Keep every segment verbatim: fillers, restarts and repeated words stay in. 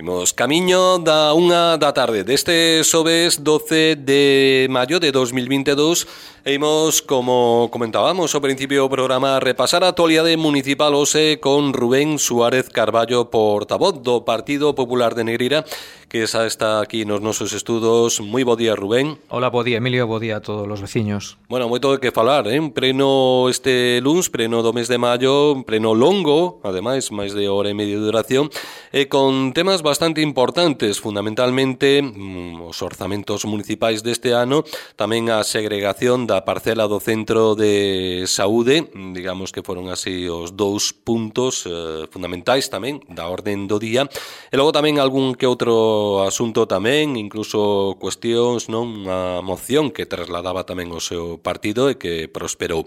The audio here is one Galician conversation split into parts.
Imos camiño da unha da tarde deste xoves doce de maio de dos mil vinte e dous e imos, como comentábamos ao principio do programa, repasar a actualidade municipal hoxe con Rubén Suárez Carballo, portavoz do Partido Popular de Negreira, que xa está aquí nos nosos estudos. Moi bo día, Rubén. Hola, bo día, Emilio, bo día a todos os veciños. Bueno, moito de que falar, eh? Preno este luns, preno do mes de maio, preno longo, ademais, máis de hora e media de duración, e con temas bastante importantes, fundamentalmente mm, os orzamentos municipais deste ano, tamén a segregación da parcela do centro de saúde, digamos que foron así os dous puntos eh, fundamentais tamén da orden do día, e logo tamén algún que outro asunto tamén, incluso cuestións, non, unha moción que trasladaba tamén o seu partido e que prosperou.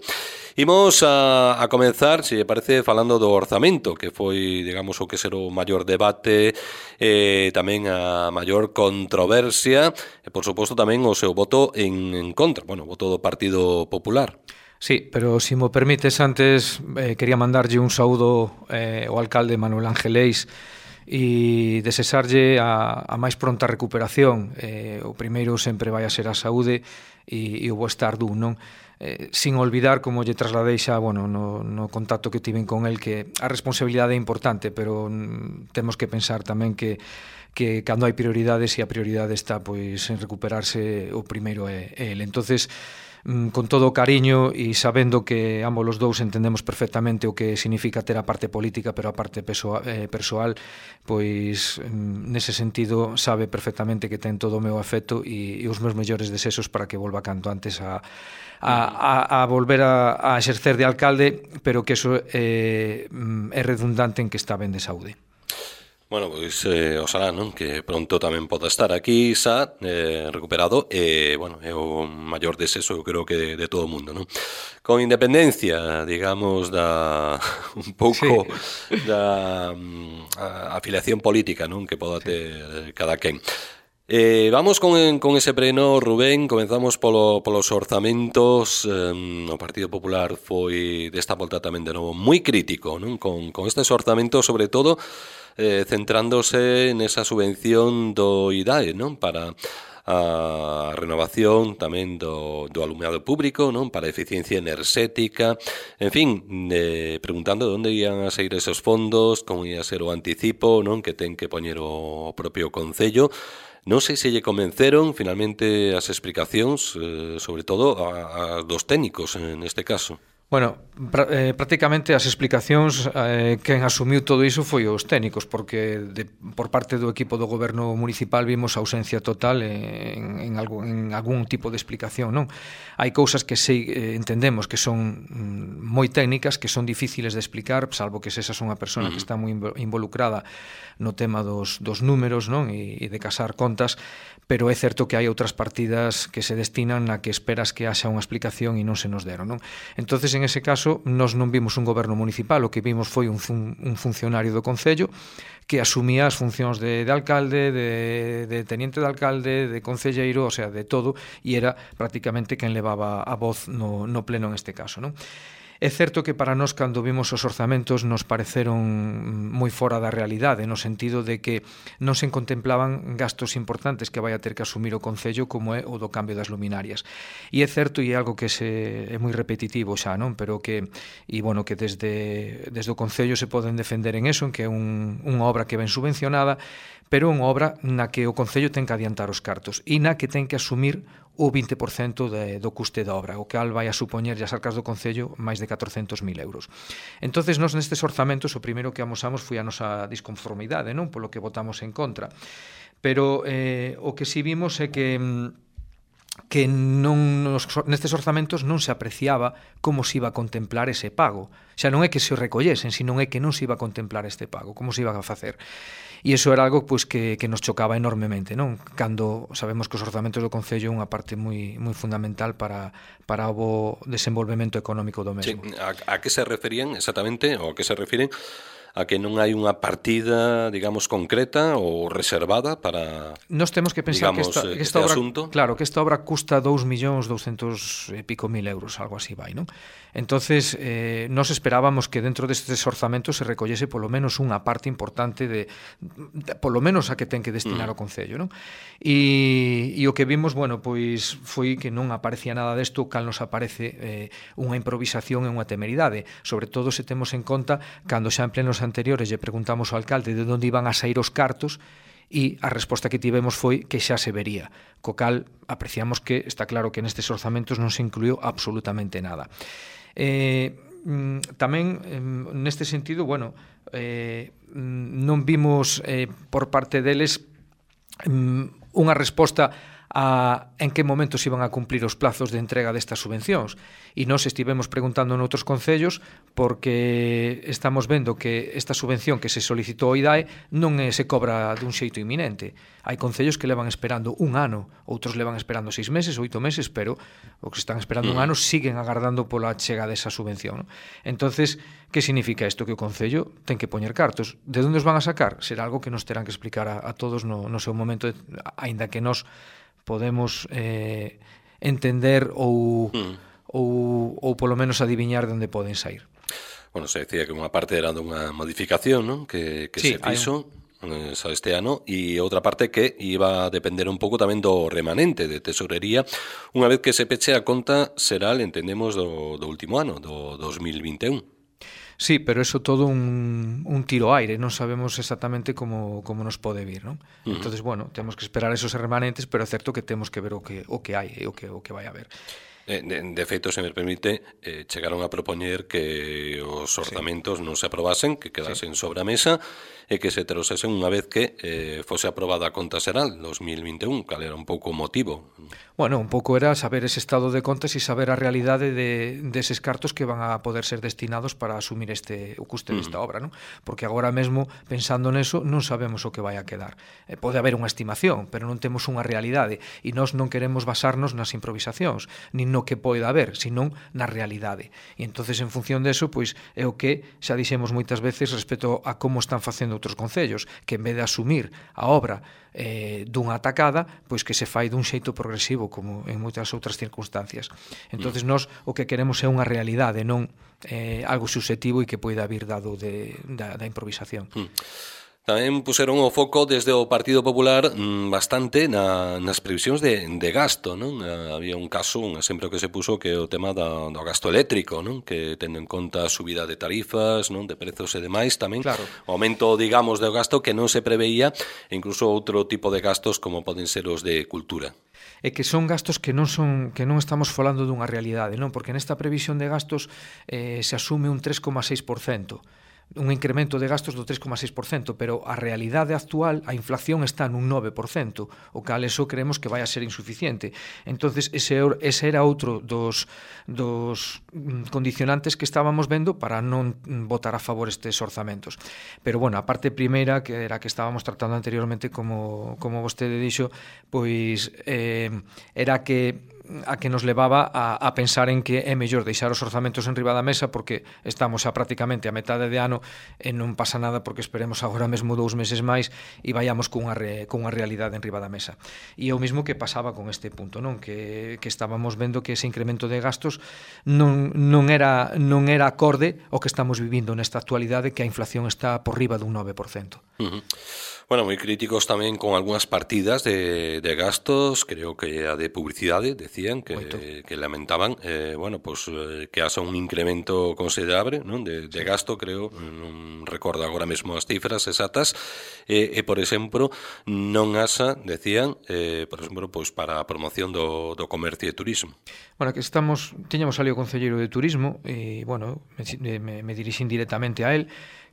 Imos a, a comenzar, se parece, falando do orzamento, que foi, digamos, o que ser o maior debate, e tamén a maior controversia, e, por suposto, tamén o seu voto en, en contra, bueno, o voto do Partido Popular. Sí, pero se mo permites antes, eh, quería mandarlle un saúdo eh, ao alcalde Manuel Ángeles e desexarlle a, a máis pronta recuperación. Eh, o primeiro sempre vai a ser a saúde e, e o bo estar dun, non? Eh, sin olvidar, como lle trasladei xa, bueno, no, no contacto que tiven con el, que a responsabilidade é importante, pero mm, temos que pensar tamén que que cando hai prioridades, e a prioridade está pois en recuperarse, o primeiro é el. Entonces, con todo o cariño e sabendo que ambos os dous entendemos perfectamente o que significa ter a parte política pero a parte persoal, eh, persoal pois nese sentido sabe perfectamente que ten todo o meu afecto e, e os meus mellores desexos para que volva canto antes a, a, a, a volver a, a exercer de alcalde, pero que eso eh, é redundante en que está ben de saúde. Bueno, pois eh, oxalá, non? Que pronto tamén poda estar aquí xa eh, recuperado e, bueno, é o maior desexo, eu creo que de, de todo o mundo, non? Con independencia, digamos, da un pouco sí. da a, afiliación política, non? Que poda ter cada quen. Eh, vamos con, con ese preno, Rubén. Comenzamos polo, polos orzamentos. eh, O Partido Popular foi desta volta tamén de novo moi crítico, non? Con, con estes orzamentos, sobre todo eh, centrándose nesa subvención do I D A E, non? Para a renovación tamén do, do alumeado público, non? Para a eficiencia enerxética, en fin, eh, preguntando de onde ian a sair esos fondos, como ia ser o anticipo, non? Que ten que poñer o propio Concello. Non sei se lle convenceron finalmente as explicacións, eh, sobre todo a, a dos técnicos neste caso. Bueno, pra, eh, prácticamente as explicacións eh, quen asumiu todo iso foi os técnicos, porque de, por parte do equipo do goberno municipal vimos ausencia total en, en, algo, en algún tipo de explicación, non? Hai cousas que sei, eh, entendemos que son mm, moi técnicas, que son difíciles de explicar, salvo que se esa son unha persona que está moi involucrada no tema dos, dos números, non? E, e de casar contas, pero é certo que hai outras partidas que se destinan na que esperas que haxa unha explicación e non se nos deron, non? Entonces, en ese caso, nós non vimos un goberno municipal, o que vimos foi un, fun, un funcionario do Concello que asumía as funcións de, de alcalde, de, de teniente de alcalde, de concelleiro, o sea, de todo, e era prácticamente quen levaba a voz no, no pleno en este caso, non? É certo que para nós, cando vimos os orzamentos, nos pareceron moi fora da realidade, no sentido de que non se contemplaban gastos importantes que vai a ter que asumir o Concello, como é o do cambio das luminarias. E é certo, e é algo que se, é moi repetitivo xa, non? Pero que, e bueno, que desde, desde o Concello se poden defender en eso, en que é un, unha obra que ven subvencionada, pero unha obra na que o Concello ten que adiantar os cartos e na que ten que asumir o vinte por cento de, do custe da obra, o cal vai a supoñer as arcas do Concello máis de catrocentos mil euros. Entonces, nós nestes orzamentos o primeiro que amosamos foi a nosa disconformidade, non? Polo que votamos en contra. Pero eh, o que si vimos é que que non nos, nestes orzamentos non se apreciaba como se iba a contemplar ese pago. Xa non é que se o recollesen, sino é que non se iba a contemplar este pago, como se iba a facer. E iso era algo pois, que, que nos chocaba enormemente, non? Cando sabemos que os orzamentos do Concello é unha parte moi, moi fundamental para, para o bo desenvolvemento económico do mesmo. Sí, a, a que se referían exactamente, ou a que se refiren a que non hai unha partida, digamos, concreta ou reservada para, Nós temos que pensar digamos, que esta, que este esta obra, asunto. Claro, que esta obra custa dous millóns douscentos e pico mil euros, algo así vai, non? Entonces, eh, nos esperábamos que dentro destes orzamentos se recollese polo menos unha parte importante de, de polo menos a que ten que destinar mm. o Concello, non? E, e o que vimos, bueno, pois foi que non aparecía nada desto, cal nos aparece eh, unha improvisación e unha temeridade, sobre todo se temos en conta cando xa en plenos anteriores lle preguntamos ao alcalde de onde iban a sair os cartos e a resposta que tivemos foi que xa se vería, co cal apreciamos que está claro que nestes orzamentos non se incluiu absolutamente nada. Eh, tamén neste sentido, bueno, eh, non vimos eh, por parte deles unha resposta a en que momento se iban a cumplir os plazos de entrega destas subvencións. E nós estivemos preguntando noutros concellos porque estamos vendo que esta subvención que se solicitou ao I D A E non se cobra dun xeito inminente. Hai concellos que levan esperando un ano, outros levan esperando seis meses, oito meses, pero os que están esperando un ano siguen agardando pola chega desa subvención, non? Entonces, que significa isto? Que o concello ten que poñer cartos. De onde os van a sacar? Será algo que nos terán que explicar a, a todos no, no seu momento, aínda que nós podemos eh, entender ou, mm. ou, ou polo menos adiviñar de onde poden sair. Bueno, se decía que unha parte era dunha modificación, non? Que, que sí, se fixo un... este ano, e outra parte que iba a depender un pouco tamén do remanente de tesorería. Unha vez que se peche a conta será, entendemos, do, do último ano, do dos mil vinte e un. Sí, pero eso todo un, un tiro aire, non sabemos exactamente como, como nos pode vir, non? Uh-huh. Entonces, bueno, temos que esperar esos remanentes, pero é certo que temos que ver o que, o que hai e o que, o que vai haber. De, de feito, se me permite, eh, chegaron a propoñer que os orzamentos sí. non se aprobasen, que quedasen sí. sobre a mesa e que se trouxesen unha vez que eh, fose aprobada a conta xeral dos mil vinte e un, cal era un pouco o motivo. Bueno, un pouco era saber ese estado de contas e saber a realidade de, deses cartos que van a poder ser destinados para asumir este o custe desta mm. obra, non? Porque agora mesmo, pensando neso, non sabemos o que vai a quedar. Eh, pode haber unha estimación, pero non temos unha realidade e nós non queremos basarnos nas improvisacións, nin no que poida haber, senón na realidade. E entonces, en función deso, pois é o que xa dixemos moitas veces respecto a como están facendo outros concellos, que en vez de asumir a obra eh, dunha atacada, pois que se fai dun xeito progresivo, como en moitas outras circunstancias. Entonces, nós o que queremos é unha realidade, non eh, algo subjetivo e que poida vir dado de, da, da improvisación. Mm. Tamén puseron o foco desde o Partido Popular mmm, bastante na, nas previsións de, de gasto, non? Había un caso, un exemplo que se puso que o tema da, do gasto eléctrico, non? Que tendo en conta a subida de tarifas, non? De prezos e demais tamén, claro. O aumento, digamos, do gasto que non se preveía, e incluso outro tipo de gastos como poden ser os de cultura. É que son gastos que non son que non estamos falando dunha realidade, non? Porque nesta previsión de gastos eh, se asume un tres coma seis por cento. Un incremento de gastos do tres coma seis por cento, pero a realidade actual, a inflación está nun nove por cento, o cal eso creemos que vai a ser insuficiente. Entonces, ese, ese era outro dos, dos condicionantes que estábamos vendo para non votar a favor estes orzamentos. Pero, bueno, a parte primeira, que era que estábamos tratando anteriormente, como, como vostede dixo, pois eh, era que a que nos levaba a, a pensar en que é mellor deixar os orzamentos en riba da mesa porque estamos xa prácticamente a metade de ano e non pasa nada porque esperemos agora mesmo dous meses máis e vayamos cunha, re, cunha realidade en riba da mesa. E é o mesmo que pasaba con este punto, non? Que, que estábamos vendo que ese incremento de gastos non, non, era, non era acorde ao que estamos vivindo nesta actualidade, que a inflación está por riba dun nove por cento. Uh-huh. Bueno, moi críticos tamén con algunhas partidas de, de gastos, creo que a de publicidade, decían, que, que lamentaban, eh, bueno, pues, eh, que haxa un incremento considerable, non? De, de gasto, creo, non recordo agora mesmo as cifras exactas, e, e por exemplo, non haxa, decían, eh, por exemplo, pues, para a promoción do, do comercio e turismo. Bueno, que estamos, tiñamos ali o concelleiro de turismo, e, bueno, me, me, me dirixín directamente a él,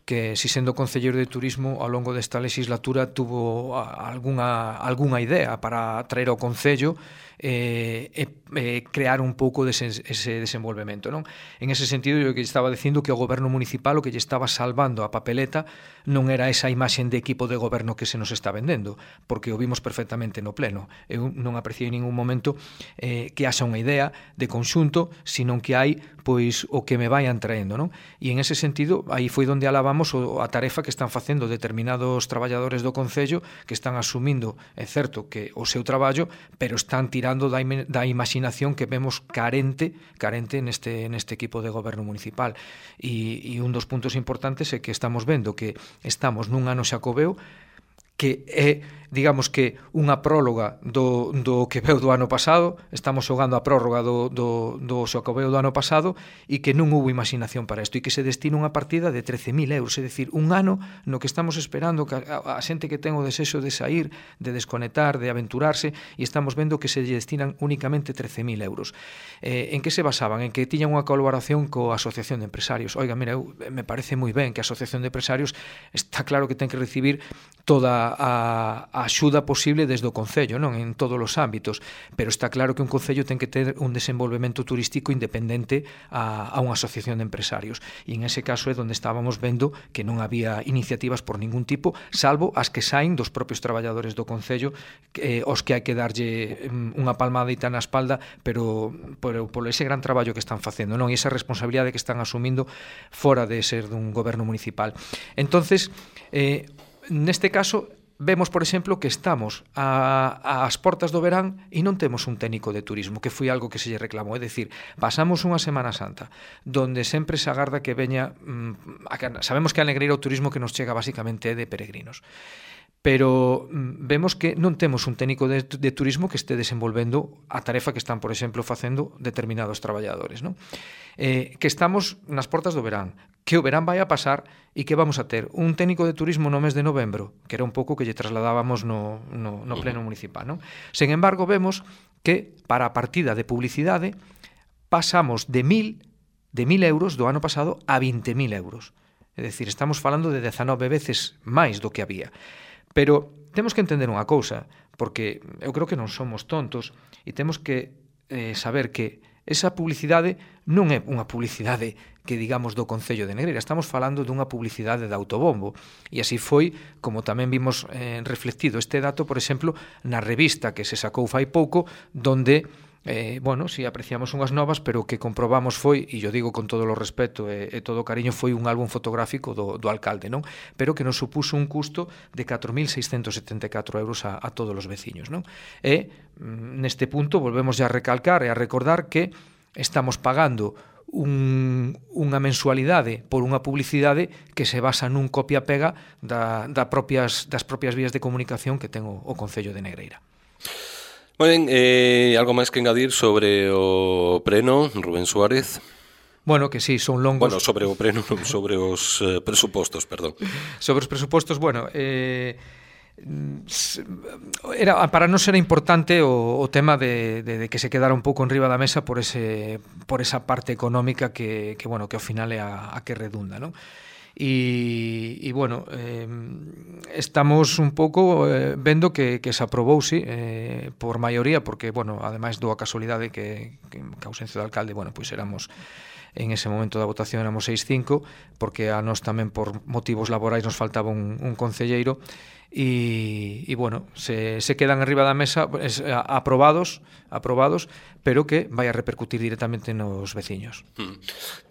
que si sendo concelleiro de turismo ao longo desta legislatura tuvo algunha, algunha idea para traer ao concello e eh, eh, crear un pouco dese, ese desenvolvemento, non? En ese sentido, eu que estaba dicindo que o goberno municipal o que lle estaba salvando a papeleta non era esa imaxen de equipo de goberno que se nos está vendendo, porque o vimos perfectamente no pleno. Eu non apreciei en ningún momento eh, que haxa unha idea de conxunto, senón que hai pois o que me vayan traendo, non? E en ese sentido, aí foi onde alabamos vexamos o, a tarefa que están facendo determinados traballadores do Concello, que están asumindo, é certo, que o seu traballo, pero están tirando da, da imaginación que vemos carente carente neste, neste equipo de goberno municipal. E, e un dos puntos importantes é que estamos vendo que estamos nun ano xacobeo que é, digamos que, unha próloga do, do que veu do ano pasado, estamos xogando a prórroga do, do, do xacobeo do ano pasado, e que non houve imaginación para isto, e que se destina unha partida de trece mil euros, é dicir, un ano no que estamos esperando que a, a xente que ten o desexo de sair, de desconectar, de aventurarse, e estamos vendo que se lle destinan únicamente trece mil euros. Eh, en que se basaban? En que tiñan unha colaboración coa Asociación de Empresarios. Oiga, mira, eu, me parece moi ben que a Asociación de Empresarios está claro que ten que recibir toda a, a axuda posible desde o Concello, non, en todos os ámbitos, pero está claro que un Concello ten que ter un desenvolvemento turístico independente a, a unha asociación de empresarios, e en ese caso é onde estábamos vendo que non había iniciativas por ningún tipo, salvo as que saen dos propios traballadores do Concello, eh, os que hai que darlle unha palmadita na espalda, pero por, por ese gran traballo que están facendo, non, e esa responsabilidade que están asumindo fora de ser dun goberno municipal. Entonces, eh, neste caso, vemos, por exemplo, que estamos a, ás portas do verán e non temos un técnico de turismo, que foi algo que se lle reclamou. É dicir, pasamos unha Semana Santa donde sempre se agarda que veña... Mmm, sabemos que a Negreira o turismo que nos chega basicamente é de peregrinos, pero vemos que non temos un técnico de, de turismo que este desenvolvendo a tarefa que están, por exemplo, facendo determinados traballadores, non? Eh, que estamos nas portas do verán, que o verán vai a pasar e que vamos a ter un técnico de turismo no mes de novembro, que era un pouco que lle trasladábamos no, no, no pleno municipal, non? Sen embargo, vemos que para a partida de publicidade pasamos de mil, de mil euros do ano pasado a vinte mil euros. É dicir, estamos falando de dezanove veces máis do que había. Pero temos que entender unha cousa, porque eu creo que non somos tontos e temos que eh, saber que esa publicidade non é unha publicidade que digamos do Concello de Negreira, estamos falando dunha publicidade de autobombo, e así foi como tamén vimos eh, reflectido este dato, por exemplo, na revista que se sacou fai pouco, donde Eh, bueno, si apreciamos unhas novas, pero o que comprobamos foi, e yo digo con todo o respeto e, e todo o cariño, foi un álbum fotográfico do, do alcalde, non? Pero que nos supuso un custo de catro mil seiscentos setenta e catro euros a, a todos os veciños, non? E neste punto volvemos a recalcar e a recordar que estamos pagando un, unha mensualidade por unha publicidade que se basa nun copia-pega da, da propias, das propias vías de comunicación que ten o, o Concello de Negreira. Moi ben, eh, algo máis que engadir sobre o preno, Rubén Suárez? Bueno, que sí, son longos. Bueno, sobre o preno, sobre os eh, presupostos, perdón. Sobre os presupostos, bueno, eh, era, para non ser importante o, o tema de, de, de que se quedara un pouco en riba da mesa por ese por esa parte económica que, que bueno, que ao final é a, a que redunda, non? E, e bueno, eh, estamos un pouco eh, vendo que, que se aprobou, sí, eh, por maioría, porque, bueno, ademais do a casualidade que, que, que ausencia do alcalde, bueno, pois éramos, en ese momento da votación éramos seis cinco, porque a nós tamén por motivos laborais nos faltaba un, un concelleiro, e, e bueno, se, se quedan arriba da mesa es, a, aprobados, aprobados, pero que vai a repercutir directamente nos veciños. Hmm.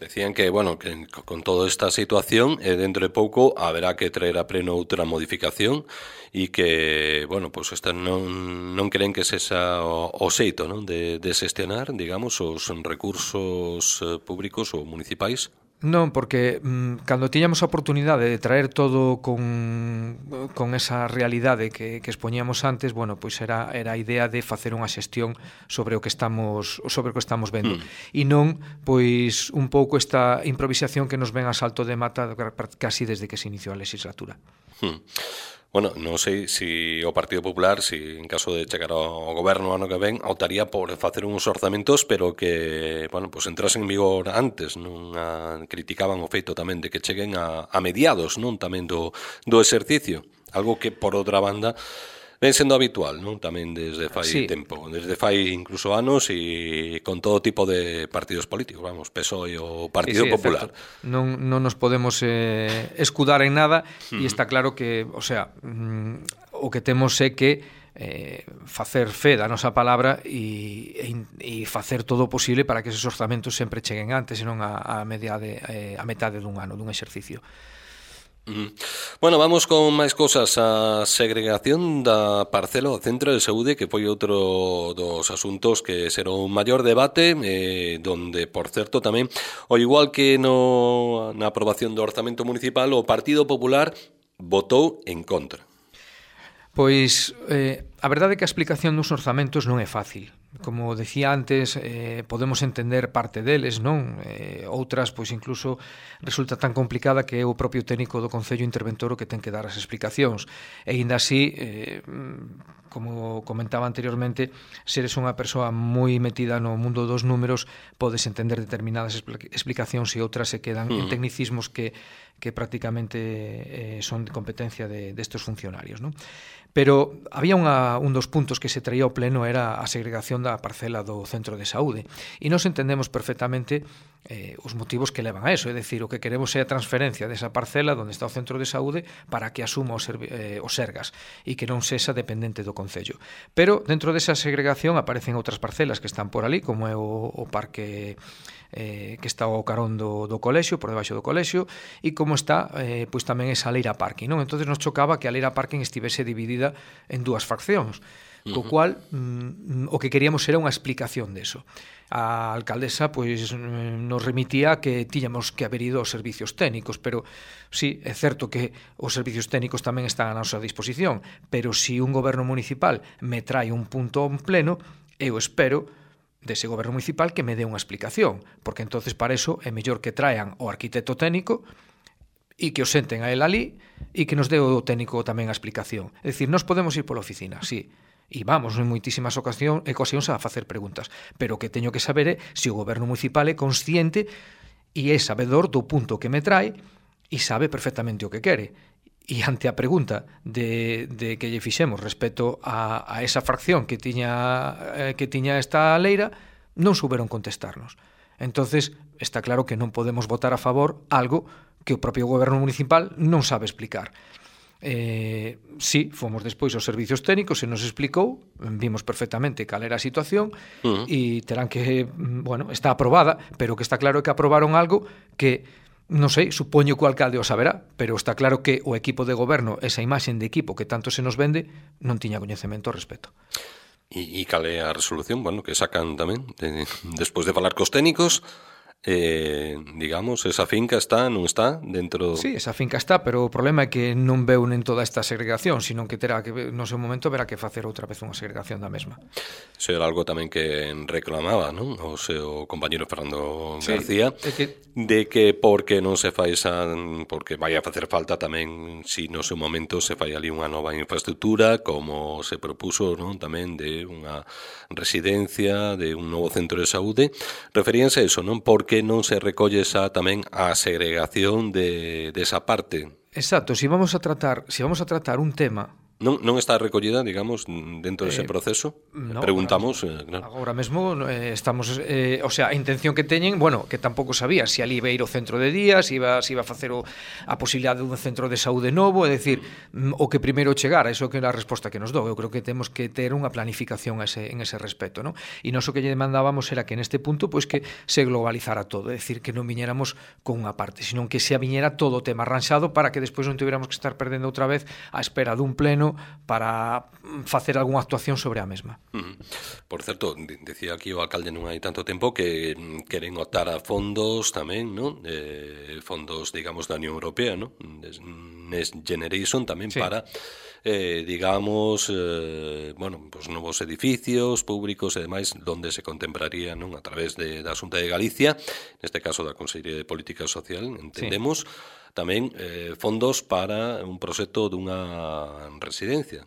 Decían que, bueno, que con toda esta situación, eh, dentro de pouco haberá que traer a pleno outra modificación e que, bueno, pues esta non, non creen que sexa o, o xeito, non, de, de xestionar, digamos, os recursos eh, públicos ou municipais. Non, porque mm, cando tiñamos a oportunidade de traer todo con, con esa realidade que, que expoñíamos antes, bueno, pois era, era a idea de facer unha xestión sobre o que estamos sobre o que estamos vendo. Mm. E non, pois, un pouco esta improvisación que nos ven a salto de mata casi desde que se iniciou a legislatura. Mm. Bueno, non sei se o Partido Popular, se en caso de chegar ao goberno ano que ven, optaría por facer uns orzamentos, pero que, bueno, pues entrasen en vigor antes, non a, criticaban o feito tamén de que cheguen a, a mediados, non, tamén do, do exercicio, algo que, por outra banda, ven sendo habitual, non? Tamén desde fai sí. tempo, desde fai incluso anos e con todo tipo de partidos políticos, vamos, P S O E o Partido sí, sí, Popular. Non, non nos podemos eh, escudar en nada e uh-huh. está claro que, o sea, mm, o que temos é que eh, facer fe da nosa palabra e, e, e facer todo o posible para que esos orzamentos sempre cheguen antes, senón a, a, mediade, eh, a metade dun ano, dun exercicio. Mm. Bueno, vamos con máis cousas. A segregación da parcela do centro de saúde, que foi outro dos asuntos que será un maior debate, eh, donde, por certo, tamén, ao igual que no, na aprobación do orzamento municipal, o Partido Popular votou en contra. Pois, eh, a verdade é que a explicación dos orzamentos non é fácil. Como decía antes, eh, podemos entender parte deles, non? Eh, outras, pois incluso resulta tan complicada que é o propio técnico do Concello Interventor o que ten que dar as explicacións. E ainda así, eh, como comentaba anteriormente, se eres unha persoa moi metida no mundo dos números, podes entender determinadas explicacións e outras se quedan uh-huh. en tecnicismos que, que prácticamente eh, son de competencia de, destes funcionarios, non? Pero había unha, un dos puntos que se traía ao pleno era a segregación da parcela do centro de saúde. E nós entendemos perfectamente eh, os motivos que levan a eso. É dicir, o que queremos é a transferencia desa parcela onde está o centro de saúde para que asuma os, eh, os Sergas e que non sexa dependente do Concello. Pero dentro desa segregación aparecen outras parcelas que están por ali, como é o, o parque eh, que está ao carón do, do colexio, por debaixo do colexio, e como está eh, pois tamén esa leira parking, non? Entonces nos chocaba que a leira parking estivese dividida en dúas faccións, co cual mm, o que queríamos era unha explicación deso. A alcaldesa pois nos remitía que tiñamos que haber ido aos servicios técnicos, pero sí, é certo que os servicios técnicos tamén están a nosa disposición, pero si un goberno municipal me trae un punto en pleno, eu espero dese goberno municipal que me dé unha explicación, porque entonces para eso é mellor que traan o arquitecto técnico e que o senten a él ali e que nos dé o técnico tamén a explicación. É dicir, nós podemos ir pola oficina, sí, e vamos en moitísimas ocasións, ocasións a facer preguntas, pero o que teño que saber é se o goberno municipal é consciente e é sabedor do punto que me trae e sabe perfectamente o que quere. E ante a pregunta de, de que lle fixemos respecto a, a esa fracción que tiña, eh, que tiña esta leira, non souberon contestarnos. Entonces, está claro que non podemos votar a favor algo que o propio goberno municipal non sabe explicar. Eh, sí, fomos despois aos servicios técnicos e nos explicou, vimos perfectamente cal era a situación uh-huh. e terán que, bueno, está aprobada, pero que está claro que aprobaron algo que, non sei, supoño que o alcalde o saberá, pero está claro que o equipo de goberno, esa imaxen de equipo que tanto se nos vende, non tiña coñecemento ao respecto. E, e cal é a resolución, bueno, que sacan tamén de, despois de falar cos técnicos? Eh, digamos, esa finca está, non está dentro... Sí, esa finca está, pero o problema é que non veu nen toda esta segregación, sino que terá que, no seu momento, verá que facer outra vez unha segregación da mesma. Isso era algo tamén que reclamaba, non? O seu compañero Fernando sí, García, que... de que porque non se fai esa... porque vai a facer falta tamén, si no seu momento se fai ali unha nova infraestructura, como se propuso, non? Tamén de unha residencia, de un novo centro de saúde, referíanse a eso, non? Porque non se recolle esa tamén a segregación de desa de parte. Exacto, si vamos a tratar, si vamos a tratar un tema Non, non está recollida, digamos, dentro dese eh, proceso? No, preguntamos, agora, eh, claro. Agora mesmo eh, estamos, eh, o sea, a intención que teñen, bueno, que tampouco sabía se si ali iba a ir o centro de día, se si iba, si iba a facer o, a posibilidade dun centro de saúde novo, é dicir, mm. o que primeiro chegar, eso que é a resposta que nos dou. Eu creo que temos que ter unha planificación ese, en ese respecto, non? E noso que lle demandábamos era que neste punto, pois que se globalizara todo, é dicir, que non viñéramos con unha parte, sino que se viñera todo o tema arranxado para que despois non tuviéramos que estar perdendo outra vez a espera dun pleno para facer algunha actuación sobre a mesma. Uh-huh. Por certo, decía aquí o alcalde non hai tanto tempo que queren optar a fondos tamén, non? Eh, fondos, digamos, da Unión Europea, non? Next Generation tamén sí. para eh, digamos, eh, bueno, pues novos edificios públicos e demais, donde se contemplaría, non? A través de, da Xunta de Galicia, neste caso da Consellería de Política Social, entendemos, sí. tamén eh, fondos para un proxecto dunha residencia.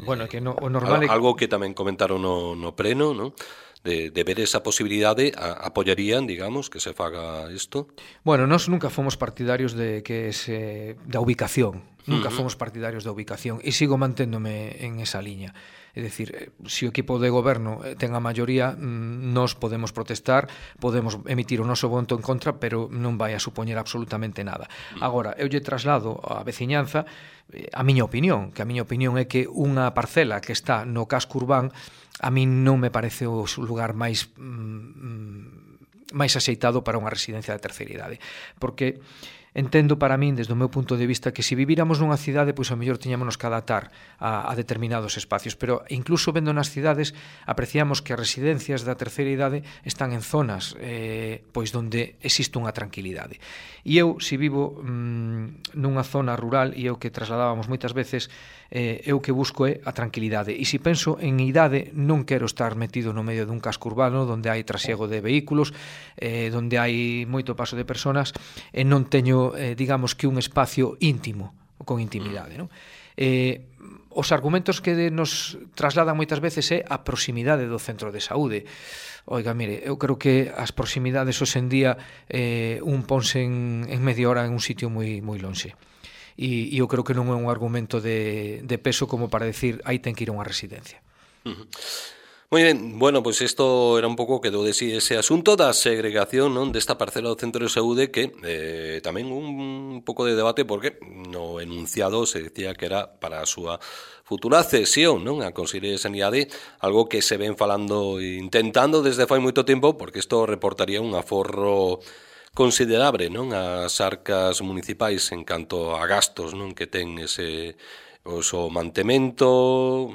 Bueno, que no, o normal é... Algo que tamén comentaron no, no pleno, non? De, de ver esa posibilidade, a, apoyarían, digamos, que se faga isto? Bueno, nós nunca fomos partidarios de que se da ubicación, nunca uh-huh. fomos partidarios da ubicación e sigo manténdome en esa liña. É dicir, se o equipo de goberno ten a maioría, nós podemos protestar, podemos emitir o noso voto en contra, pero non vai a supoñer absolutamente nada. Agora, eu lle traslado á veciñanza a miña opinión, que a miña opinión é que unha parcela que está no casco urbán a min non me parece o lugar máis mm, máis axeitado para unha residencia de terceira idade, porque entendo para min, desde o meu punto de vista, que se vivíramos nunha cidade, pois ao mellor tiñámonos que adaptar a, a determinados espacios, pero incluso vendo nas cidades apreciamos que as residencias da terceira idade están en zonas eh, pois donde existe unha tranquilidade. E eu, se vivo mmm, nunha zona rural, e eu que trasladábamos moitas veces, eh, eu que busco é a tranquilidade. E se penso en idade, non quero estar metido no medio dun casco urbano onde hai trasiego de vehículos, eh, onde hai moito paso de personas, e non teño Eh, digamos que un espacio íntimo, con intimidade, non? Eh, os argumentos que nos trasladan moitas veces é a proximidade do centro de saúde. Oiga, mire, eu creo que as proximidades hoxe en día eh, un ponse en, en media hora en un sitio moi, moi lonxe. E, e eu creo que non é un argumento de, de peso como para decir aí ten que ir a unha residencia. Uh-huh. Moi ben, bueno, pois pues isto era un pouco quedou de si ese asunto da segregación, non, desta parcela do centro de saúde que eh, tamén un pouco de debate porque no enunciado se decía que era para a súa futura cesión, non, a Consellería de Sanidade, algo que se ven falando e intentando desde fai moito tempo porque isto reportaría un aforro considerable, non, ás arcas municipais en canto a gastos, non, que ten ese Pois o mantemento,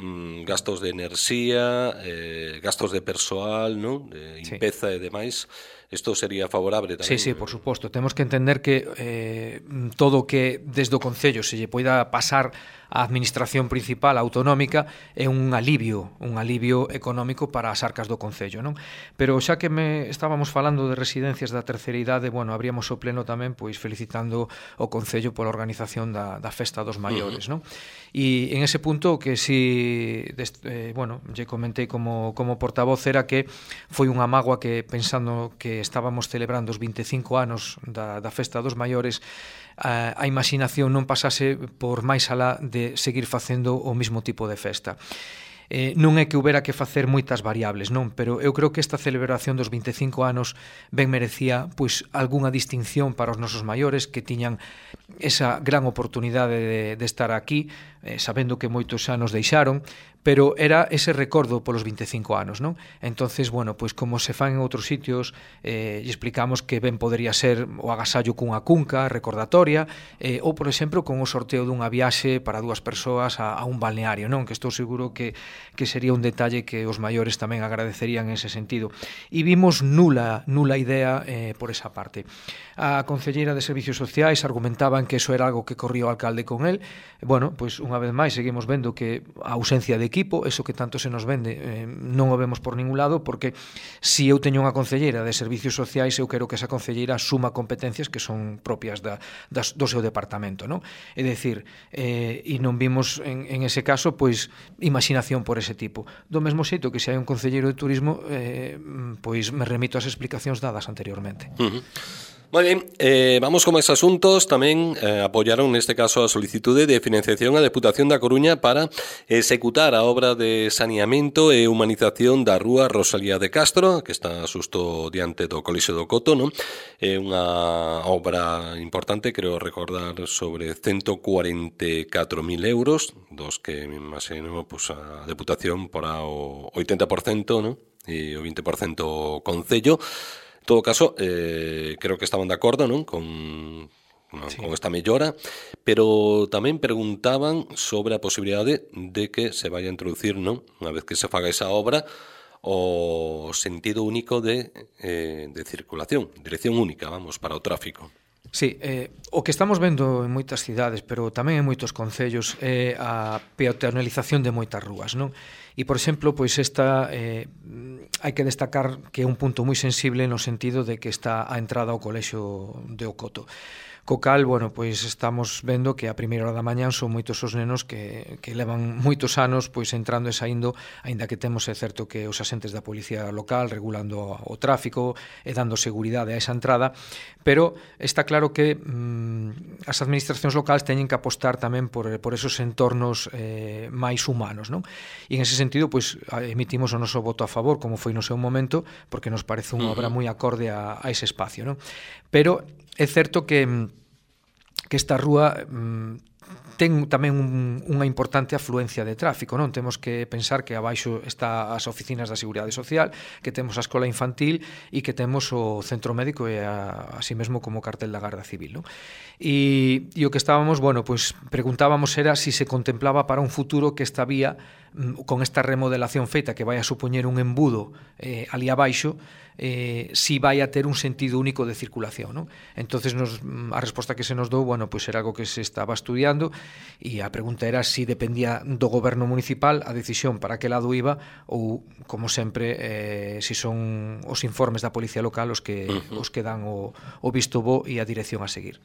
gastos de enerxía, eh, gastos de persoal, non? De limpeza sí. E demais. Isto sería favorable tamén. Sí, sí, por suposto. Temos que entender que eh, todo o que desde o Concello se lle poida pasar a administración principal autonómica é un alivio, un alivio económico para as arcas do Concello, non? Pero xa que me estábamos falando de residencias da terceira idade, bueno, abríamos o pleno tamén pois felicitando o Concello pola organización da, da Festa dos Maiores, uh-huh. non? E en ese punto que si, eh, bueno, lle comentei como, como portavoz era que foi unha mágoa que pensando que estábamos celebrando os vinte e cinco anos da, da Festa dos Maiores, a, a imaginación non pasase por máis alá de seguir facendo o mesmo tipo de festa. Eh, non é que houbera que facer moitas variables, non, pero eu creo que esta celebración dos vinte e cinco anos ben merecía pois algunha distinción para os nosos maiores que tiñan esa gran oportunidade de, de estar aquí, eh, sabendo que moitos anos deixaron, pero era ese recordo polos vinte e cinco anos, non? Entonces, bueno, pois como se fan en outros sitios, eh, e explicamos que ben podería ser o agasallo cunha cunca recordatoria, eh, ou, por exemplo, con o sorteo dunha viaxe para dúas persoas a, a un balneario, non? Que estou seguro que que sería un detalle que os maiores tamén agradecerían en ese sentido. E vimos nula, nula idea eh, por esa parte. A concelleira de Servicios Sociais argumentaban que eso era algo que corría o alcalde con él. Bueno, pois unha vez máis seguimos vendo que a ausencia de equipo, eso que tanto se nos vende, eh, non o vemos por ningún lado, porque se eu teño unha concelleira de Servicios Sociais, eu quero que esa concelleira suma competencias que son propias da, das, do seu departamento, non? É dicir, eh, e non vimos en, en ese caso, pois, imaginación por ese tipo. Do mesmo xeito que se hai un concelleiro de turismo, eh, pois me remito ás explicacións dadas anteriormente. Uh-huh. Moi ben, eh, vamos con máis asuntos. Tamén eh, apoyaron neste caso a solicitude de financiación a Deputación da Coruña para executar a obra de saneamento e humanización da rúa Rosalía de Castro, que está xusto diante do Colexio do Coto, non? É unha obra importante, creo recordar, sobre ciento cuarenta e catro mil euros, dos que me imagino pues, a Deputación porá o oitenta por cento, non? E o vinte por cento o Concello. En todo caso, eh, creo que estaban de acordo, non? Con, sí. con esta mellora, pero tamén preguntaban sobre a posibilidade de que se vaya a introducir, non? Unha vez que se faga esa obra, o sentido único de, eh, de circulación, dirección única, vamos, para o tráfico. Sí, eh, o que estamos vendo en moitas cidades, pero tamén en moitos concellos, é a peatonalización de moitas rúas, non? E, por exemplo, pois esta eh, hai que destacar que é un punto moi sensible no sentido de que está a entrada ao colexio de Ocoto. Co cal, bueno, pois estamos vendo que a primeira hora da mañán son moitos os nenos que, que levan moitos anos pois entrando e saindo, aínda que temos é certo que os asentes da policía local regulando o tráfico e dando seguridade a esa entrada, pero está claro que mm, as administracións locais teñen que apostar tamén por, por esos entornos eh, máis humanos, non? E en ese sentido, pois, emitimos o noso voto a favor, como foi no seu momento, porque nos parece unha obra moi acorde a, a ese espacio, non? Pero é certo que que esta rúa mm, ten tamén un, unha importante afluencia de tráfico, non? Temos que pensar que abaixo está as oficinas da Seguridade Social, que temos a escola infantil e que temos o centro médico e a, así mesmo como o cartel da Garda Civil, non? E, e o que estábamos, bueno, pues preguntábamos era si se contemplaba para un futuro que esta vía, con esta remodelación feita que vai a supoñer un embudo eh, ali abaixo, eh, si vai a ter un sentido único de circulación, non? Entonces nos, a resposta que se nos dou, bueno, pues era algo que se estaba estudiando e a pregunta era si dependía do goberno municipal a decisión para que lado iba ou, como sempre, eh, si son os informes da policía local os que, uh-huh. os que dan o, o visto bo e a dirección a seguir.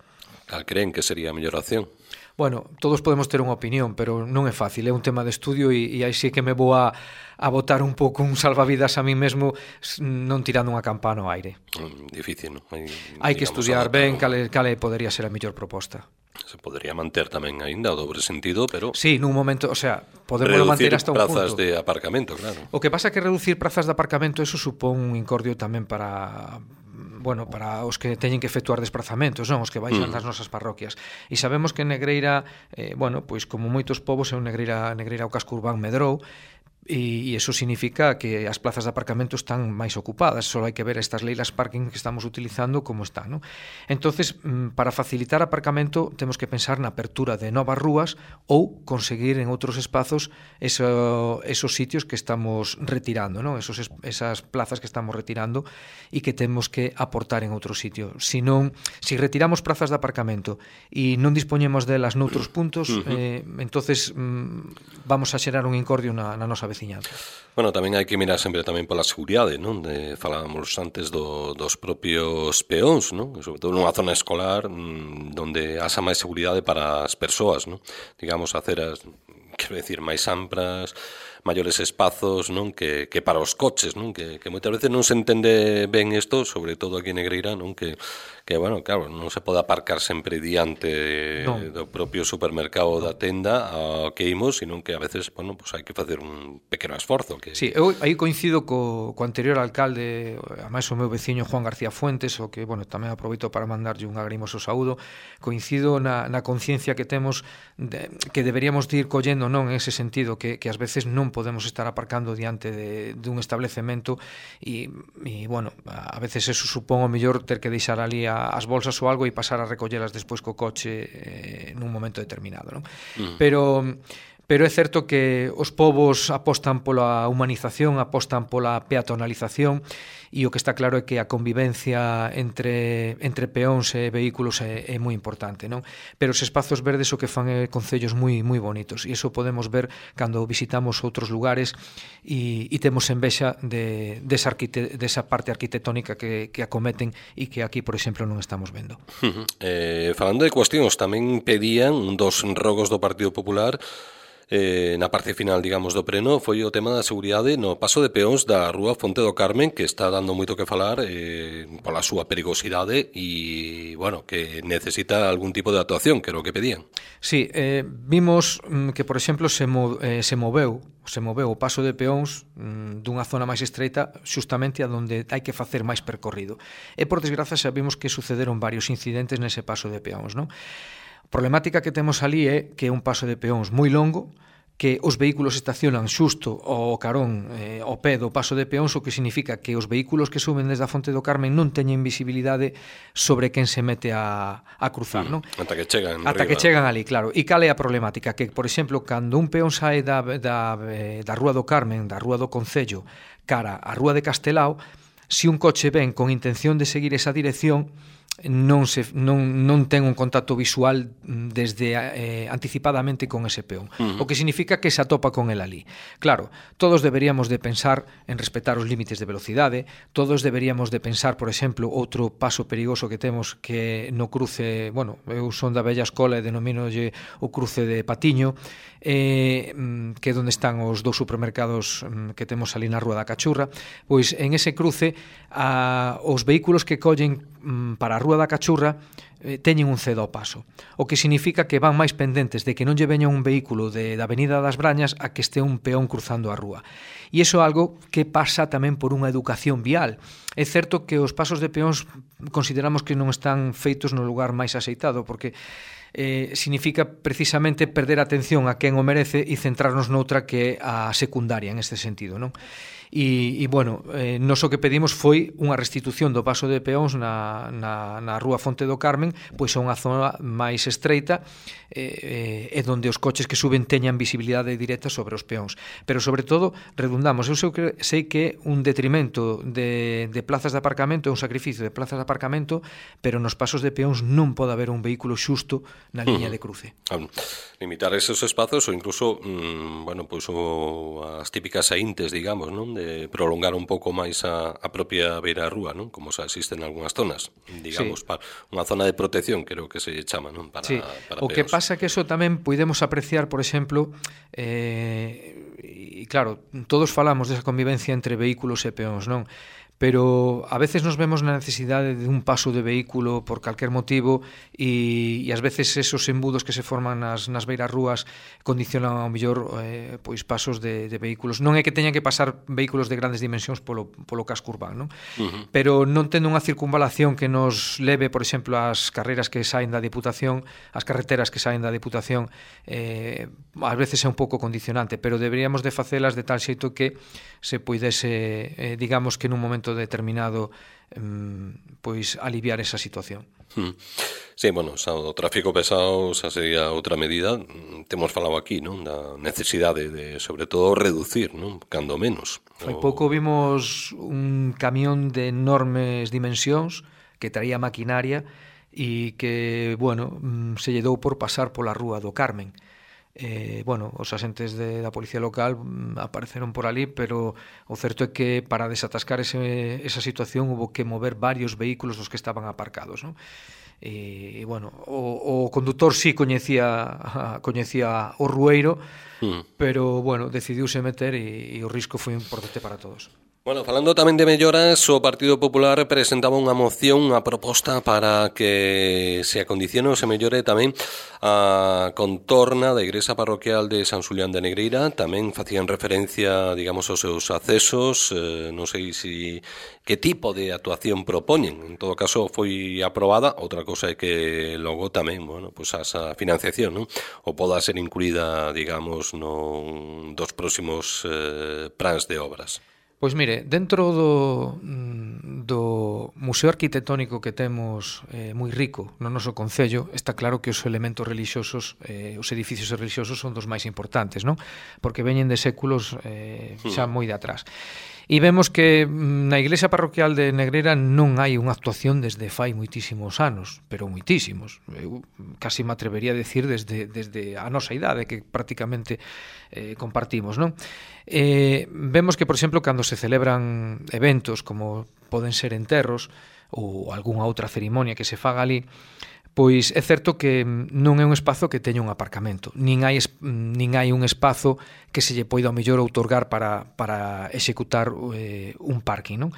Cal creen que sería a mellor acción? Bueno, todos podemos ter unha opinión, pero non é fácil, é un tema de estudio e, e aí sí que me vou a, a botar un pouco un salvavidas a mí mesmo non tirando unha campana ao aire. Difícil, non? Hai, Hai que estudiar ben cale, cale podería ser a mellor proposta. Se podría manter tamén aínda o dobre sentido, pero... Sí, nun momento, o sea, podemos manter hasta un punto. Reducir prazas de aparcamento, claro. O que pasa é que reducir prazas de aparcamento, eso supón un incordio tamén para... bueno, para os que teñen que efectuar desplazamentos, non, os que baixan das nosas parroquias. E sabemos que Negreira, eh, bueno, pois como moitos povos, é un Negreira, Negreira o casco urbán medrou, e, e eso significa que as plazas de aparcamento están máis ocupadas, só hai que ver estas leilas parking que estamos utilizando como están, non? Entonces, para facilitar aparcamento temos que pensar na apertura de novas rúas ou conseguir en outros espazos eso, esos sitios que estamos retirando, non? Esos, esas plazas que estamos retirando e que temos que aportar en outro sitio. Si non, si retiramos plazas de aparcamento e non dispoñemos delas noutros puntos, eh, entonces mm, vamos a xerar un incordio na, na nosa veciñanza. Bueno, tamén hai que mirar sempre tamén pola seguridade, non? De, falábamos antes do, dos propios peóns, non? Sobre todo nunha zona escolar mmm, onde haxa máis seguridade para as persoas, non? Digamos, aceras, quero decir, máis amplas, maiores espazos, non? Que, que para os coches, non? Que, que moitas veces non se entende ben isto, sobre todo aquí en Negreira, non? Que, que bueno, claro, non se pode aparcar sempre diante no. do propio supermercado da tenda ao que imos, sino que a veces, bueno, pues hai que facer un pequeno esforzo. Que... Sí, eu aí coincido co, co anterior alcalde, ademais o meu veciño Juan García Fuentes, o que, bueno, tamén aproveito para mandarlle un agrimoso saúdo, coincido na, na conciencia que temos de, que deberíamos de ir collendo, non, en ese sentido, que, que ás veces non podemos estar aparcando diante de, de un establecemento e, e, bueno, a veces eso supón o mellor ter que deixar ali a, as bolsas ou algo e pasar a recollelas despois co coche eh, nun momento determinado, non? Mm. Pero... Pero é certo que os povos apostan pola humanización, apostan pola peatonalización e o que está claro é que a convivencia entre, entre peóns e vehículos é, é moi importante, non? Pero os espazos verdes o que fan é concellos moi moi bonitos e iso podemos ver cando visitamos outros lugares e, e temos envexa de, desa, arquite, desa parte arquitectónica que, que acometen e que aquí, por exemplo, non estamos vendo. Uh-huh. Eh, falando de cuestións, tamén pedían un dos rogos do Partido Popular Eh, na parte final, digamos, do pleno foi o tema da seguridade no paso de peóns da Rúa Fonte do Carmen, que está dando moito que falar eh, pola súa perigosidade e, bueno, que necesita algún tipo de actuación, que era o que pedían. Sí, eh, vimos mm, que, por exemplo, se, mo, eh, se moveu se moveu o paso de peóns mm, dunha zona máis estreita justamente a donde hai que facer máis percorrido. E, por desgraza, xa vimos que sucederon varios incidentes nese paso de peóns, non? A problemática que temos ali é que é un paso de peóns moi longo, que os vehículos estacionan xusto ao carón, eh, ao pé do paso de peóns, o que significa que os vehículos que suben desde a Fonte do Carmen non teñen visibilidade sobre quen se mete a, a cruzar, non? Ata que chegan Ata que chegan ali, claro. E cal é a problemática? Que, por exemplo, cando un peón sae da, da, da Rúa do Carmen, da Rúa do Concello, cara á Rúa de Castelao, se un coche ven con intención de seguir esa dirección, non se non non ten un contacto visual desde eh, anticipadamente con ese peón, uh-huh. o que significa que se atopa con el ali. Claro, todos deberíamos de pensar en respetar os límites de velocidade, todos deberíamos de pensar, por exemplo, outro paso perigoso que temos que no cruce, bueno, eu son da vella escola e denominolle o cruce de Patiño, eh, que é onde están os dous supermercados que temos ali na Rúa da Cachurra. Pois en ese cruce a, os vehículos que collen para a Rúa da Cachurra teñen un cedo ao paso, o que significa que van máis pendentes de que non lle veña un vehículo de, da Avenida das Brañas a que este un peón cruzando a rúa. E iso é algo que pasa tamén por unha educación vial. É certo que os pasos de peóns consideramos que non están feitos no lugar máis axeitado, porque eh, significa precisamente perder a atención a quen o merece e centrarnos noutra que é a secundaria en este sentido, non? E, e bueno, eh, nos o que pedimos foi unha restitución do paso de peóns na, na, na rúa Fonte do Carmen, pois a unha zona máis estreita eh, e eh, onde os coches que suben teñan visibilidade directa sobre os peóns. Pero sobre todo, redundamos, eu sei que un detrimento de, de plazas de aparcamento é un sacrificio de plazas de aparcamento, pero nos pasos de peóns non pode haber un vehículo xusto na liña de cruce. Um, limitar esos espazos ou incluso, mm, bueno, pois o, as típicas saíntes, digamos, non? De prolongar un pouco máis a, a propia beira rúa, non? Como xa existen en algunhas zonas, digamos, sí. Para unha zona de protección, creo que se chama, non? Para, sí. para o que pasa que eso tamén podemos apreciar, por exemplo, eh, e claro, todos falamos desa convivencia entre vehículos e peóns, non? Pero a veces nos vemos na necesidade de un paso de vehículo por calquer motivo e, e ás veces esos embudos que se forman nas, nas beiras rúas condicionan ao mellor eh, pois pasos de, de vehículos. Non é que teñan que pasar vehículos de grandes dimensións polo, polo casco urbano, non? Uh-huh. Pero non tendo unha circunvalación que nos leve, por exemplo, ás carreras que saen da Diputación, as carreteras que saen da Diputación, eh, ás veces é un pouco condicionante, pero deberíamos de facelas de tal xeito que se poidese, eh, digamos que nun momento determinado pois aliviar esa situación. Hmm. Sí, bueno, xa, o tráfico pesado xa sería outra medida. Temos falado aquí, non? Da necesidade de, sobre todo, reducir, non? Cando menos. Hai pouco vimos un camión de enormes dimensións que traía maquinaria e que, bueno, se lle dou por pasar pola rúa do Carmen. Eh, bueno, os asentes de, da policía local mm, apareceron por ali, pero o certo é que para desatascar ese, esa situación hubo que mover varios vehículos dos que estaban aparcados, non? E, e bueno, o, o condutor sí coñecía coñecía o rueiro, mm. pero bueno, decidiuse meter e, e o risco foi importante para todos. Bueno, falando tamén de melloras, o Partido Popular presentaba unha moción, unha proposta para que se acondicione ou se mellore tamén a contorna da igrexa parroquial de San Xulián de Negreira. Tamén facían referencia, digamos, aos seus accesos, eh, non sei si que tipo de actuación propoñen. En todo caso, foi aprobada. Outra cosa é que logo tamén, bueno, pues esa financiación, non? O poda ser incluída, digamos, non dos próximos eh, plans de obras. Pois mire, dentro do, do museo arquitectónico que temos eh, moi rico no noso concello, está claro que os elementos religiosos, eh, os edificios religiosos son dos máis importantes, non? Porque veñen de séculos eh, xa moi de atrás. E vemos que na iglesia parroquial de Negreira non hai unha actuación desde fai moitísimos anos, pero moitísimos. Eu casi me atrevería a decir desde, desde a nosa idade, que prácticamente eh, compartimos, non? Eh, vemos que, por exemplo, cando se celebran eventos como poden ser enterros ou algunha outra cerimonia que se faga ali, pois é certo que non é un espazo que teña un aparcamento, nin hai, nin hai un espazo que se lle poida ao mellor outorgar para, para executar eh, un parking, non?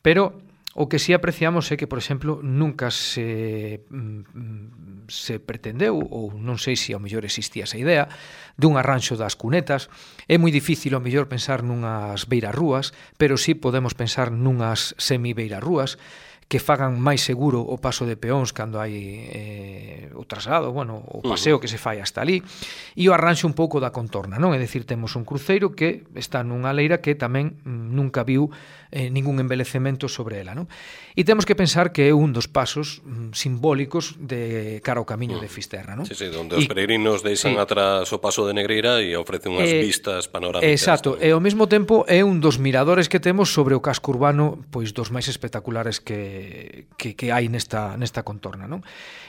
Pero o que sí apreciamos é que, por exemplo, nunca se, se pretendeu, ou non sei se ao mellor existía esa idea, dun arranxo das cunetas. É moi difícil ao mellor pensar nunhas beirarrúas, pero sí podemos pensar nunhas semi-beirarrúas, que fagan máis seguro o paso de peóns cando hai eh, o traslado, bueno, o paseo que se fai hasta ali, e o arranxo un pouco da contorna, non? É dicir, temos un cruceiro que está nunha leira que tamén mm, nunca viu eh, ningún embelecemento sobre ela, non? E temos que pensar que é un dos pasos mm, simbólicos de cara ao camiño mm. de Fisterra, non? Sí, sí, onde os peregrinos deixan sí. atrás o paso de Negreira e ofrecen unhas eh, vistas panorámicas. Exacto, e ao mesmo tempo é un dos miradores que temos sobre o casco urbano, pois dos máis espectaculares que Que, que hai nesta, nesta contorna, non?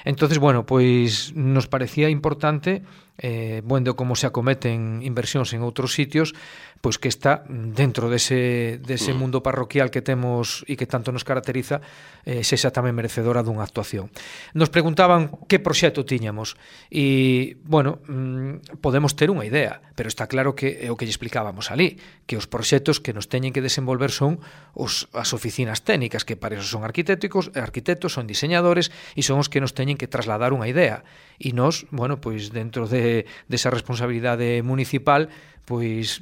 Entonces, bueno, pois nos parecía importante eh, vendo como se acometen inversións en outros sitios, pois que está dentro dese, dese mundo parroquial que temos e que tanto nos caracteriza, eh, sexa tamén merecedora dunha actuación. Nos preguntaban que proxecto tiñamos e, bueno, mmm, podemos ter unha idea, pero está claro que é o que lle explicábamos ali, que os proxectos que nos teñen que desenvolver son os, as oficinas técnicas, que para eso son arquitectos, arquitectos, son diseñadores e son os que nos teñen que trasladar unha idea. E nós, bueno, pois dentro de, desa responsabilidade municipal, pois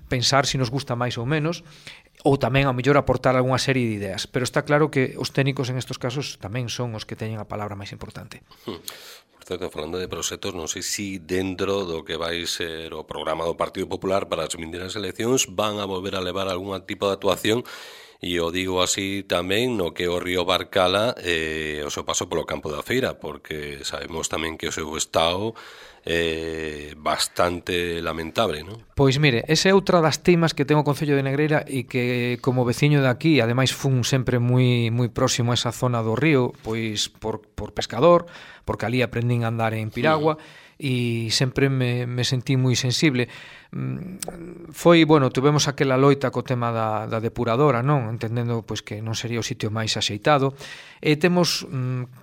pensar se nos gusta máis ou menos, ou tamén ao mellor aportar algunha serie de ideas, pero está claro que os técnicos en estes casos tamén son os que teñen a palabra máis importante. Por certo, falando de proxectos, non sei se dentro do que vai ser o programa do Partido Popular para as vindeiras eleccións van a volver a levar algún tipo de actuación, e o digo así tamén no que o río Barcala eh, o seu paso polo campo da feira, porque sabemos tamén que o seu estado é eh, bastante lamentable, non? Pois mire, esa é outra das temas que ten o Concello de Negreira e que como veciño de aquí, ademais fun sempre moi moi próximo a esa zona do río, pois por, por pescador, porque ali aprendín a andar en piragua, sí. E sempre me, me sentí moi sensible. Foi, bueno, tuvemos aquela loita co tema da, da depuradora, non? Entendendo pois que non sería o sitio máis axeitado. E temos,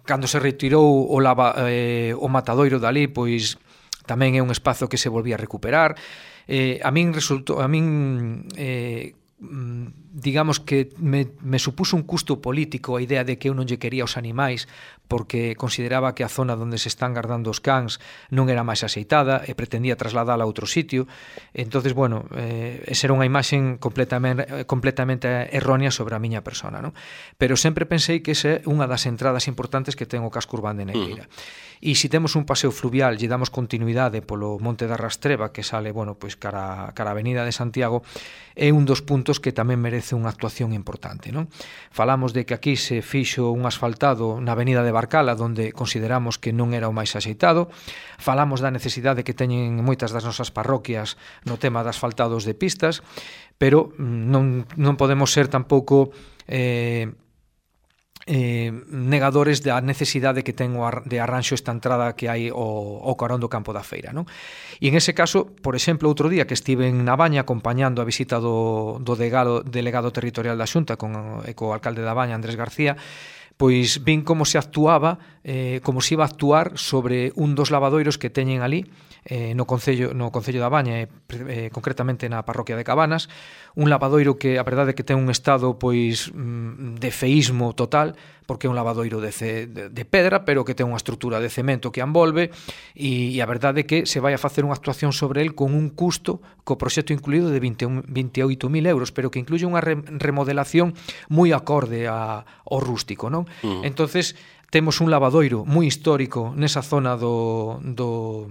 cando se retirou o, lava, eh, o matadoiro dali, pois tamén é un espazo que se volvía a recuperar. Eh, a min resultou, a min eh, digamos que me, me supuso un custo político a idea de que eu non lle quería os animais porque consideraba que a zona onde se están guardando os cans non era máis axeitada e pretendía trasladala a outro sitio. Entonces, bueno, eh, esa era unha imaxen completamente, completamente errónea sobre a miña persona, non? Pero sempre pensei que esa é unha das entradas importantes que ten o casco urbano de Negreira. Uh-huh. E se temos un paseo fluvial lle damos continuidade polo Monte da Rastreba que sale, bueno, pois cara, cara a Avenida de Santiago, é un dos puntos que tamén merece unha actuación importante, non? Falamos de que aquí se fixo un asfaltado na Avenida de Barcala, donde consideramos que non era o máis axeitado. Falamos da necesidade que teñen moitas das nosas parroquias no tema de asfaltados de pistas, pero non, non podemos ser tampouco eh, eh, negadores da necesidade que ten de arranxo esta entrada que hai ao, ao carón do campo da feira, non? E en ese caso, por exemplo, outro día que estive en Nabaña acompañando a visita do, do delegado, delegado territorial da Xunta con, e co alcalde da Baña, Andrés García, pois vin como se actuaba, eh, como se iba a actuar sobre un dos lavadoiros que teñen ali, eh, no Concello, no Concello da Baña, eh, eh, concretamente na parroquia de Cabanas, un lavadoiro que a verdade é que ten un estado pois de feísmo total, porque é un lavadoiro de, ce, de, de pedra, pero que ten unha estrutura de cemento que envolve, e, e a verdade é que se vai a facer unha actuación sobre el con un custo, co proxecto incluído de vinte e oito mil euros, pero que incluye unha re, remodelación moi acorde a, ao rústico, non? Uh-huh. Entonces, temos un lavadoiro moi histórico nesa zona do, do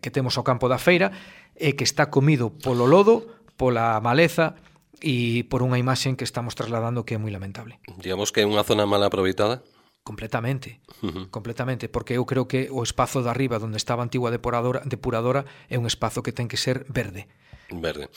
que temos ao campo da feira e que está comido polo lodo, pola maleza e por unha imaxen que estamos trasladando que é moi lamentable. Digamos que é unha zona mal aproveitada? Completamente, uh-huh. completamente, porque eu creo que o espazo de arriba onde estaba a antigua depuradora, depuradora é un espazo que ten que ser verde. Verde.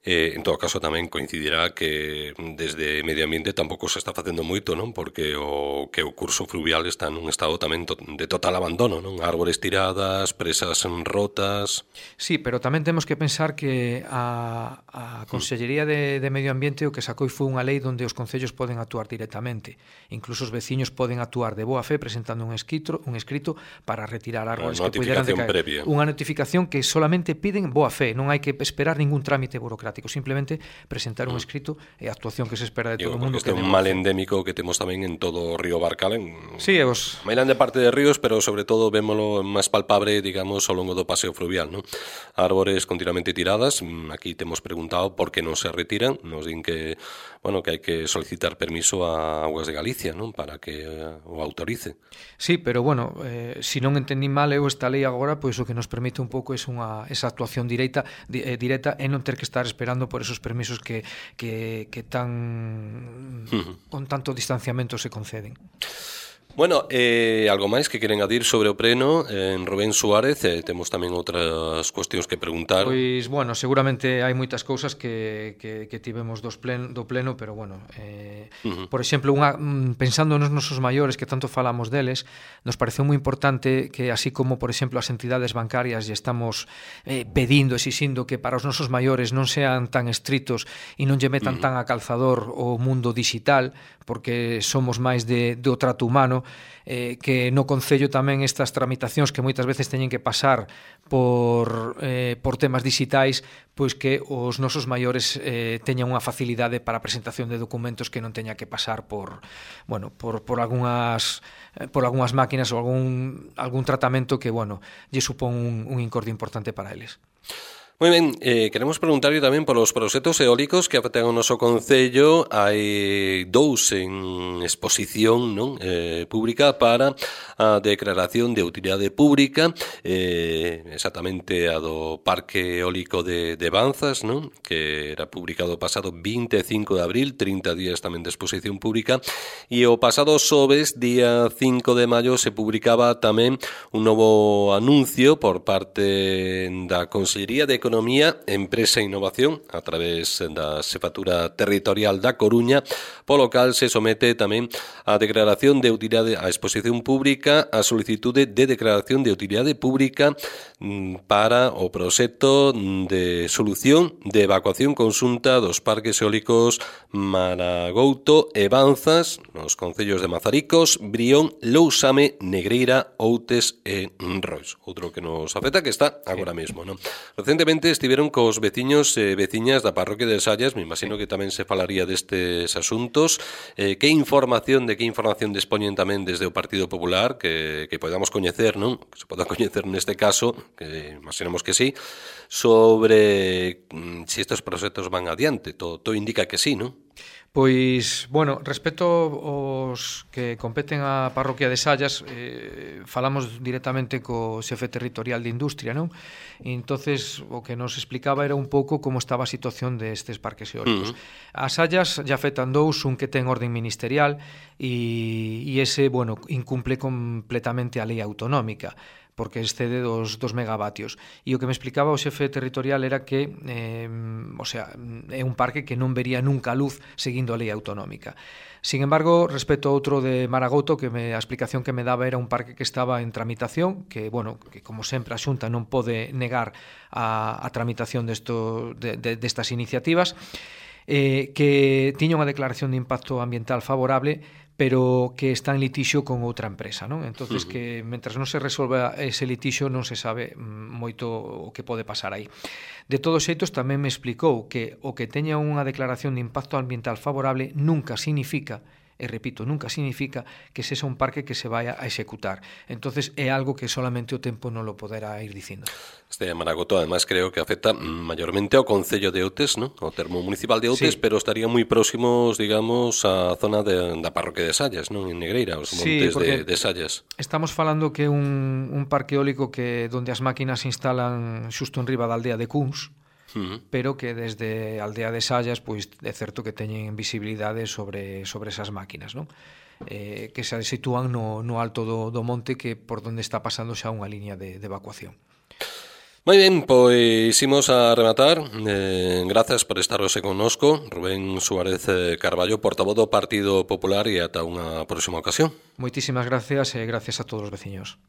Eh, en todo caso tamén coincidirá que desde Medio Ambiente tampouco se está facendo moito, non? Porque o que o curso fluvial está nun estado tamén to, de total abandono, non? Árbores tiradas, presas rotas. Sí, pero tamén temos que pensar que a, a Consellería de, de Medio Ambiente o que sacou foi unha lei onde os concellos poden actuar directamente. Incluso os veciños poden actuar de boa fe presentando un escrito, un escrito para retirar árbores que puderan decaer. Previa. Unha notificación que solamente piden boa fe, non hai que esperar ningún trámite burocrático, simplemente presentar un escrito e a actuación que se espera de todo o mundo. Este é un mal endémico que temos tamén en todo o río Barcala, en sí, os... Mailán de parte de ríos, pero sobre todo vémolo máis palpable, digamos, ao longo do paseo fluvial, ¿no? Árbores continuamente tiradas, aquí temos preguntado por que non se retiran, nos din que, bueno, que hai que solicitar permiso a Augas de Galicia, ¿no? Para que o autorice. Sí, pero bueno, eh, si non entendí mal eu esta lei agora, pois o que nos permite un pouco é unha esa actuación directa, di, eh, directa e non ter que estar esperando por esos permisos que, que, que tan uh-huh. con tanto distanciamento se conceden. Bueno, eh, algo máis que queren adir sobre o pleno en Rubén Suárez, eh, temos tamén outras cuestións que preguntar. Pois, bueno, seguramente hai moitas cousas que, que, que tivemos dos plen, do pleno, pero, bueno, eh, uh-huh. por exemplo, unha, pensando nos nosos maiores, que tanto falamos deles, nos pareceu moi importante que, así como, por exemplo, as entidades bancarias lle estamos eh, pedindo, exixindo que para os nosos maiores non sean tan estritos e non lle metan uh-huh. tan a calzador o mundo digital, porque somos máis de, do trato humano, eh, que no Concello tamén estas tramitacións que moitas veces teñen que pasar por, eh, por temas digitais, pois que os nosos maiores eh, teñan unha facilidade para a presentación de documentos que non teña que pasar por, bueno, por, por algunhas por algunhas máquinas ou algún, algún tratamento que, bueno, lle supón un, un incordio importante para eles. Moi ben, eh, queremos preguntarlle tamén polos proxectos eólicos que afectan ao noso Concello. Hai dous en exposición, non, eh, pública para a declaración de utilidade pública, eh, exactamente a do Parque Eólico de, de Banzas, non, que era publicado o pasado vinte e cinco de abril, trinta días tamén de exposición pública, e o pasado xoves, día cinco de maio, se publicaba tamén un novo anuncio por parte da Consellería de Economía Economía, Empresa e Innovación a través da Xefatura Territorial da Coruña, polo cal se somete tamén a declaración de utilidade a exposición pública a solicitude de declaración de utilidade pública para o proxecto de solución de evacuación conxunta dos parques eólicos Maragouto e Banzas nos concellos de Mazaricos, Brión, Lousame, Negreira, Outes e Rois. Outro que nos afecta que está agora mesmo, non? Recentemente estiveron cos veciños e veciñas da parroquia de Sallas, me imagino que tamén se falaría destes asuntos. Eh, que información, de que información dispoñen tamén desde o Partido Popular que, que podamos coñecer, non? Que se poda coñecer neste caso, que imaginamos que sí, sobre mm, si estes proxectos van adiante. Todo, todo indica que sí, non? Pois, bueno, respecto aos que competen á parroquia de Sallas, eh, falamos directamente co xefe territorial de Industria, non? E entonces o que nos explicaba era un pouco como estaba a situación destes parques eólicos. Uh-huh. As Sallas ya afectan dous, un que ten orden ministerial e, e ese, bueno, incumple completamente a lei autonómica, porque excede dos, dos megavatios. E o que me explicaba o xefe territorial era que eh, o sea, é un parque que non vería nunca a luz seguindo a lei autonómica. Sin embargo, respecto a outro de Maragouto, que me, a explicación que me daba era un parque que estaba en tramitación, que, bueno, que como sempre a Xunta non pode negar a, a tramitación desto, de, de, destas iniciativas, eh, que tiña unha declaración de impacto ambiental favorable, pero que está en litixio con outra empresa, non? Entonces, uh-huh. que mentras non se resolva ese litixio non se sabe moito o que pode pasar aí. De todos xeitos, tamén me explicou que o que teña unha declaración de impacto ambiental favorable nunca significa, e repito, nunca significa que sexa un parque que se vaya a executar. Entonces é algo que solamente o tempo non lo poderá ir dicindo. Este Maragouto, además, creo que afecta mayormente ao Concello de Outes, ¿no? Ao termo municipal de Outes, sí. Pero estaría moi próximos, digamos, á zona de, da parroquia de Sallas, non? En Negreira, os montes sí, de, de Sallas. Estamos falando que un, un parque eólico que donde as máquinas se instalan xusto en riba da aldea de Cuns, Uh-huh. pero que desde a aldea de Sallas pois é certo que teñen visibilidade sobre, sobre esas máquinas, non? Eh, que se sitúan no, no alto do, do monte, que por donde está pasando xa unha liña de, de evacuación. Moi ben, pois imos a rematar. Eh, grazas por estar hoxe connosco, Rubén Suárez Carballo, portavoz do Partido Popular, e ata unha próxima ocasión. Moitísimas gracias e gracias a todos os veciños.